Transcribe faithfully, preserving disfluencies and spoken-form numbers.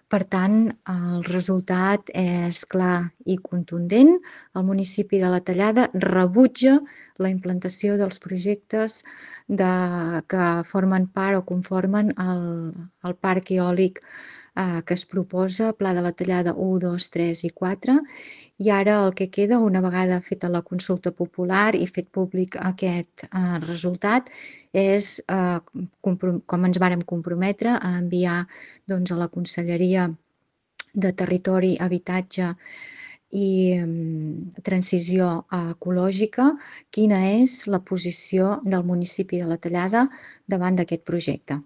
Per tant, el resultat és clar i contundent. El municipi de la Tallada rebutja la implantació dels projectes de que formen part o conformen el el parc eòlic, eh, que es proposa, Pla de la Tallada u, dos, tres i quatre. I ara el que queda, una vegada feta la consulta popular i fet públic aquest, eh, resultat, és, eh, comprom com ens vàrem comprometre a enviar, doncs, a la Conselleria de Territori, Habitatge i, mm, Transició Ecològica, quina és la posició del municipi de la Tallada davant d'aquest projecte.